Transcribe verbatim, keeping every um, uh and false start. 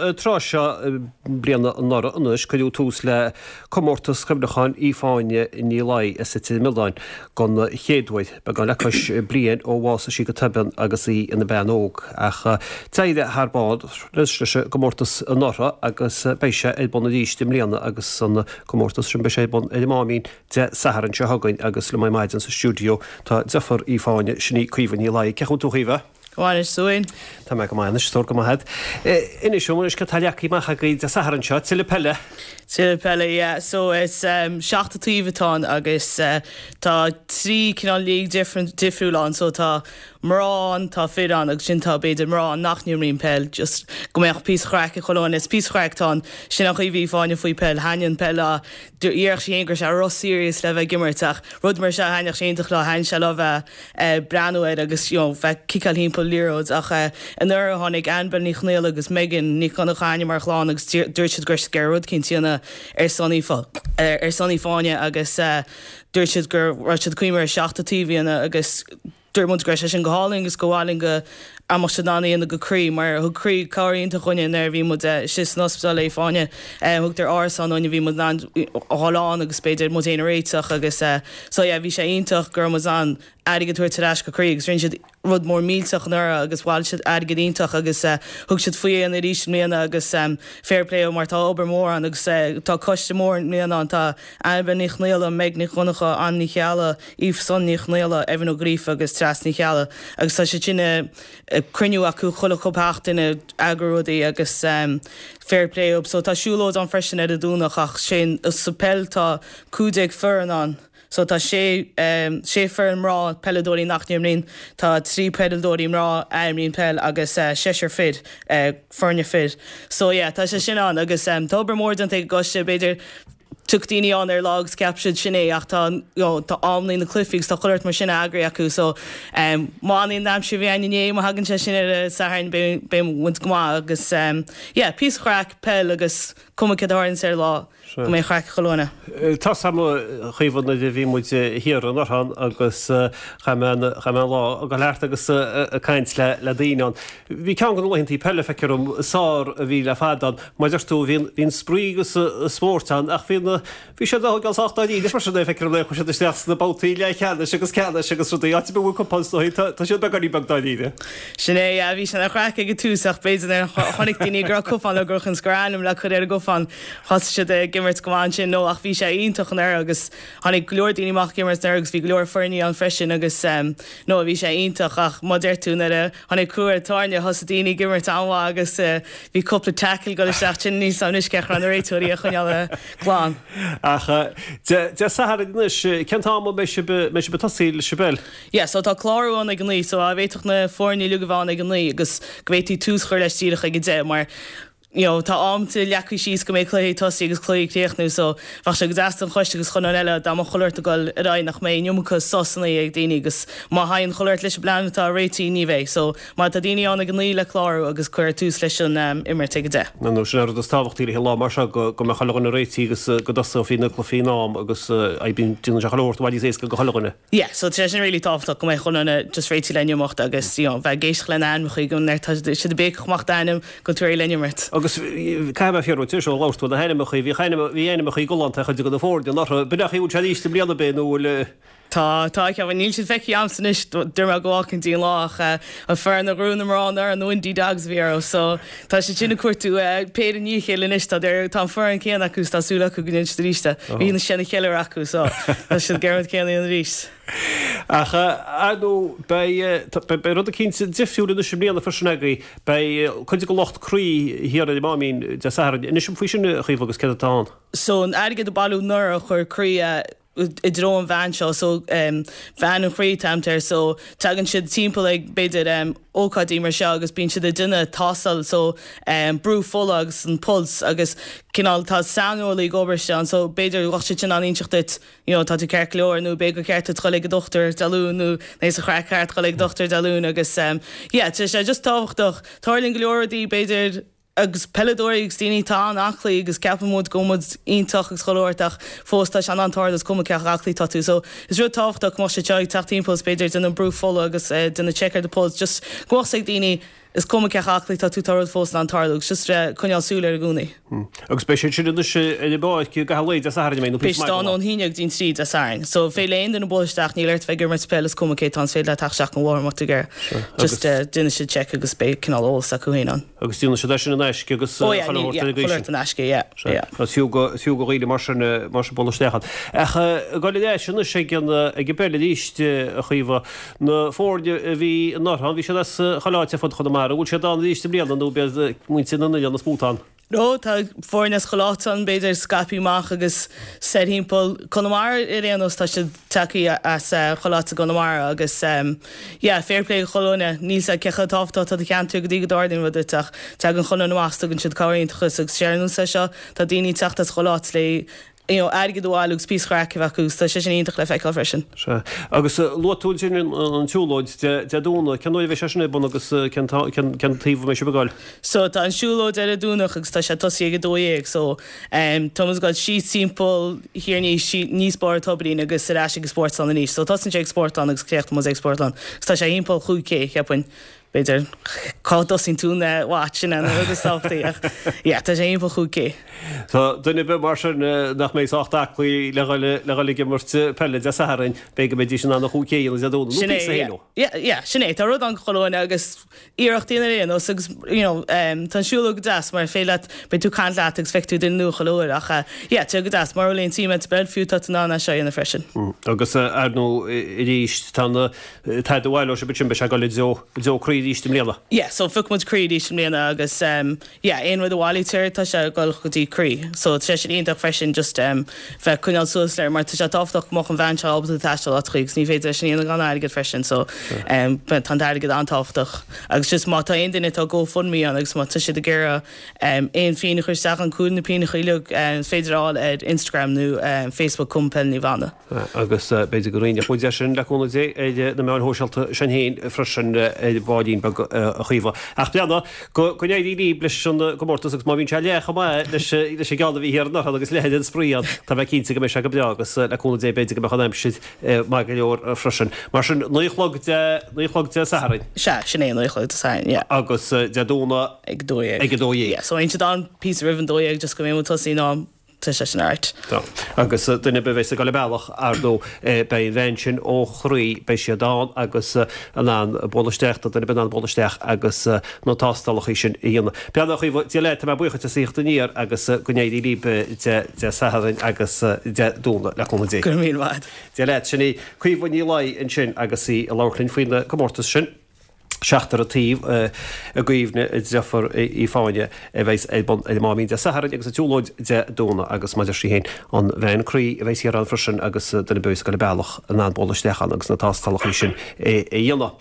An tráth seo bliana anuraidh anois cuireadh tús le comórtas cuimhneacháin Aoife Áine Ní Laoi as Leitir Mealláin don chéad uair, beagán le cois bliain ó bhásaigh sí go tobann agus í ina bean óg. Ach d'éirigh thar barr leis an gcomórtas anuraidh agus beidh sé ar bun arís i mbliana agus an comórtas sin beidh sé ar bun ar an Máimín Dé Sathairn seo chugainn agus liom ar maidin sa stiúideo tá deirfiúr Aoife Áine, sin í Caoimhe Ní Laoi. Cén chaoi a bhfuil tú a Chaoimhe? Go maith anois Eoin. Tá mé go maith anois, stór go maith agat. Inis dom anois cad tá leagtha amach agaibh Dé Sathairn seo, tuilleadh peile? Tuilleadh peile, yeah. So is um, seacht taobh atá ann agus uh, tá trí cineál league different difriúil ann, so tá mná ann, tá fir ann agus sin tá b'fhéidir mná nach n-imríonn peil, just go mbeadh píosa craic ag chuile dhuine, is píosa craic atá ann, sin an chaoi a bhí Fáinne faoi peil, thaitnigh an peil léi, déarfadh sí féin go raibh sé ró-serious le bheith ag imirt ach rud mar seo thaitneodh sé iontach léi, thaitnigh sé léi bheith ag breathnú air agus you know, bheith ciceáil thimpeall liathróid ach uh, anuraidh tháinig Annabel Ní Chonaill agus Megan Ní Chonnacha mar chlann agus dúirt siad gur gur rud éicint a dhéanamh ar son ar, ar son Fáinne agus uh, dúirt siad gur raibh siad cuimir seachta taobh agus dúirt muid go raibh sé sin go hálainn agus go hálainn go mbeadh siad in ann go Croí mar thug Croí cabhair iontach dúinne nuair a bhí muid istigh san ospidéal le Fáinne thugadar árasán dúinne bhí muid in ann dhul ann agus b'fhéidir muid féin a réiteach agus so yeah bhí sé iontach go raibh muid in ann airgead a thabhairt ar ais go Croí agus rinne siad rud mór millteach anuraidh agus bhailigh siad airgead iontach agus uh, thug siad faoi an arís i mbliana agus um, fair play mar tá obair mór ann agus uh, tá coiste mór i mbliana ann tá Annabel Ní Chonaill, Meg Ní Chonnacha, Ann Ní Chealla, Aoife Son Ní Chonaill, Evan Ó Gríofa agus Treas Ní Chealla agus tá sé sin uh, cruinniú acu chuile chúpla seachtain eagrú rudaí agus um, fair play up so tá siúlóid ann freisin ar an Domhnach ach sin sa peil tá cúig déag foireann ann. So tá sé um, sé foireann mná peileadóirí nach n-imríonn tá trí peileadóirí mná a imríonn peil agus uh, seisear fir uh, foirne fir. So yeah, tá sé sin ann agus um, tá obair mór déanta ag an gcoiste b'fhéidir Tugann daoine ann ar lá agus ceap siad sin é ach tá you know, tá amnaí na cluichí tá chulart mar sin eagraithe acu so um, má an aimsir bhí inné má thagann sé sin ar Satharn beidh go maith agus um, yeah, píosa craic peil agus cuma cad a ar lá go mbeidh craic chuile dhuine. Tá sam chuomh na bhí muid thiar anuraidh agus chaith mé lá go leart agus caint le le daoine ann. Bhí ceann de na laethanta peile feictear dom sár a bhí le fada mar deir tú bhí an spraoi agus spórt ann ach bhí bhí sé gan sách dáiríre mar sin é feictear dom chuaigh siad isteach sna babhtaí leathcheannais agus ceannais agus rudaí áit a bhfuil cupán tá siad beagáinín beag dáiríre. Sin é bhí sin an chraic ag an tús ach b'fhéidir chonaic daoine go raibh cupán le gur chun ainm le cur ar an gcupán thosaigh siad ag imirt go maith ansin nó ach bhí sé iontach anuraidh agus tháinig go leor daoine amach ag imirt anuraidh agus bhí go leor foirne ann freisin agus um, nó bhí sé iontach ach mar deir tú nuair a tháinig crú ar tairne thosaigh daoine ag imirt an-mhaith agus uh, bhí cúpla tackle go isteach sin níos anois ce an réiteoirí a choinneáil glan. Ach Dé Sathairn anois cén t-am a mbeidh sibh ag tosaí leis an bpeil? Yeah, so tá clárú ann ag a naoi, so a bhféadfadh na foirne uilig a bheith ann ag a naoi agus go bhféadfaí tús a chur leis díreach ag a deich mar you know, tá am leagtha síos go mbeidh cluichí tosaí agus cluichí críochnú so bheadh sé go deas don choiste agus chun an eile dá mbeadh chuile shórt ag dul ar aghaidh nach mbeidh an iomarca sosanna ag daoine agus má théann chuile shórt leis an bplean atá réitithe ní bheidh so má tá daoine ann ag a naoi le clárú agus cuir tús leis an um, imirt ag a deich. No nó sin rud is tábhachtaí le lá mar seo go go mbeadh chuile dhuine réitithe agus go dtosófaí na cluichí in am agus bíonn déanann sé chuile shórt i bhfad níos éasca do chuile dhuine. Yeah, so tá sin really tábhachtach go mbeidh chuile dhuine just réitithe le n-imeacht agus you know, bheith ag éisteacht lena ainmneacha go tá siad ag béiceach amach d'ainm go tú le n-imirt. Agus caithfidh mé fiafraí díot seo labhairt tú na hainmneacha bhí bhí ainmneacha galánta chuid de na foirne anuraidh b'fhéidir bhfuil sé arís i mbliana bé nó bhfuil Tá tá cean níl siad feicthe agamsa anois dúirt mé go bhfácann dtí an lá ach an fear na grúna mná ar an Windy Dogs bhí ar so tá sé sin cuartú péire ní chéile anois tá tá an foireann céanna acu tá súil acu go ndéanfaidh siad arís bhí na sin cheile acu so tá siad germid céanna an arís. Ach nó beidh rud eicínt difriúil anois i mbliana freisin agaibh beidh cuid de lucht Croí thiar ar an Máimín Dé Sathairn anois an faoi sin a Chaoimhe agus céard atá ann. So an airgead a bailíodh anuraidh a chuir Croí i dtreo an veain seo so um, veain an chroí tamter so tagann siad timpeall ag b'fhéidir um, ócáidí mar seo agus bíonn siad ag déanamh tástáil so um, brú fola agus an pulse agus cineál tá saineolaí ag obair an so b'fhéidir bheadh siad sin in ann inseacht duit you know, tá tú ceart go leor nó b'fhéidir gur ceart duit dul ag an dochtúir Dé Luain nó né sa chraic ceart dul ag an dochtúir Dé Luain agus um, yeah, tá sé just tábhachtach tarlaíonn go leor rudaí b'fhéidir agus peileadóirí agus daoine tá an-aclaí agus ceapann muid go bhfuil muid iontach agus chuile shórt ach fós tá sé an-tarlú is cuma cé chomh aclaí tá tú so is rud tábhachtach má sé ag teacht timpeall b'fhéidir déanamh brú fola agus uh, déanamh check ar the pulse just go ag daoine is cuma cé chomh haclaí tá tú tá rud fós in ann tarlú agus just coinneáil súil air i gcónaí. Agus beidh siad sin anois ar an bpáirc i gcaitheamh an lae Dé Sathairn, an mbeidh, nó Beidh siad ann ón haon déag go dtí an trí Dé Sathairn. So féidir le aon duine bualadh isteach, níl ort bheith ag imirt peil is cuma cé tá ann, is féidir leat teacht isteach an bhóthar má tá tú ag iarraidh. Just déanfaidh siad check agus beidh cineál eolas acu féin ann. Agus déanfaidh siad é sin in aisce agus Oh yeah, ní, yeah, chuile shórt in aisce, yeah, yeah. Is fiú go, is fiú go dhaoine mar sin, mar sin bualadh isteach ann. Ach ag dul ar ais anois ag an, ag an bpeil arís, a Chaoimhe, na foirne a bhí anuraidh ann, bhí siad as chuile áit ar fud Chonamara, an bhfuil siad ann arís i mbliana nó ab iad muintir na n-oileán is mó atá ann? No, tá foirne as chuile áit ann, b'fhéidir scaipthe amach agus soir thimpeall Conamara ar aon nós, tá siad tagtha as chuile áit i gConamara agus yeah, fair play do chuile dhuine, níl 's a'd cé chomh tábhachtach atá do cheantar go dtí go dtarlaíonn rud duit ach tagann chuile dhuine amach 's tugann siad cabhair iontach agus ar nós é seo, tá daoine ag teacht as chuile áit le you know, airgead a bhailiú agus píosa craic a bheith acu, tá sé sin iontach le feiceáil freisin. Sea. Agus luaigh tú ansin an tsiúlóid Dé Domhnaigh, cén uair a bheidh sé sin ar bun agus cén cén taobh a mbeidh sibh ag dul? So tá an siúlóid ar an Domhnach agus tá sé tosaithe ag a dó dhéag so um, tá muid ag dul síos timpeall Thír an Fhia, aníos Barr an Toirín agus ar ais ag an Spórtlann arís. So tosaíonn sé ag Spórtlann agus críochnaíonn muid ag Spórtlann. Agus tá sé thimpeall chúig K, cheapfainn. B'fhéidir cá dtosaíonn tú an watch sin an rud is tábhachtaí ach yeah tá sé thimpeall chúig K. Tá duine ar bith mar sin nach mbeidh sách aclaí le dhul le dhul ag imirt peile Dé Sathairn, b'fhéidir go mbeidís in ann an chúig K a dhéanamh Dé Domhnaigh nó Sin é píosa yeah féin ó. yeah yeah sin é tá rud ann do chuile dhuine agus iarracht a dhéanamh ar aon nós agus you know um, tá an siúlóid go deas mar féidir leat beidh tú ag caint leat agus feicfidh tú duine nua chuile uair ach uh, yeah tá go deas mura bhfuil aon suim agat sa bpeil fiú tá tú in ann é seo a dhéanamh freisin. Agus ar ndóigh arís tá na airgead a bhaileoidh sibh ansin beidh sé ag dul i dtreo i dtreo Croí arís i mbliana. Yeah, so phioc muid Croí arís i mbliana agus um, yeah, aon rud a bhailítear tá sé ag dul go dtí Croí. So tá sé sin iontach freisin just um, bheith coinneáil suas leir mar tá sé tábhachtach go mbeadh an bhean seo ábalta taisteal áiteachaí agus ní féidir leis sin a dhéanamh gan airgead freisin so um, tá an t-airgead an-tábhachtach. Agus just má tá aon duine tá GoFundMe ann agus má tá siad ag iarraidh um, aon phingin a chur isteach an cúl na pingin uilig um, is féidir a fháil ar Instagram nó um, Facebook Cumann Peile Naomh Anna. Agus b'fhéidir go roinnfidh muid é sin le cúnamh Dé ar na meáin shóisialta sin féin freisin ar bhaillín beag a Chaoimhe. Ach breathnaigh go go n-éirí libh leis an gcomórtas agus má bhíonn sé leath chomh maith leis leis an gceann a bhí thiar anuraidh agus leath den spraoi ann, tá mé cinnte go mbeidh sé go breá agus le cúnamh Dé b'fhéidir go mbeadh an aimsir maith go leor freisin. Mar sin naoi a chlog Dé naoi a chlog Dé Sathairn. Sea, sin é naoi a chlog Dé Sathairn, yeah. Agus Dé Domhnaigh Ag a dó dhéag. Ag a dó dhéag. Yeah, so aon siad ann píosa roimh an dó dhéag just go mbeidh muid tosaithe in am. Tá sé sin alright. Tá. Agus duine ar bith a bheas ag dul an bealach, ar ndóigh, beidh an veain sin ó Chroí, beidh siad ann agus in ann bualadh isteach, tá duine ar bith in ann bualadh isteach agus na tástálacha sin a dhéanamh. Breathnaigh, a Chaoimhe, Dia leat, tá mé buíoch duit as a thíocht aniar agus go n-éirí libh Dé Sathairn agus Dé Domhnaigh, le cúnamh Dé. Go raibh míle maith agat. Dia leat. Sin í Caoimhe Ní Laoi ansin agus í ag labhairt linn faoin gcomórtas sin. Seachtar an Taobh i gcuimhne a deirfiúr Fáinne a bheas ar bun ar an Máimín Dé Sathairn agus an tsiúlóid Dé Domhnaigh agus mar a deir sí féin an veain Croí a bheas thiar ann freisin agus duine ar bith a bheas ag dul an bealach in ann bualadh isteach ann agus na tástálacha sin a dhéanamh.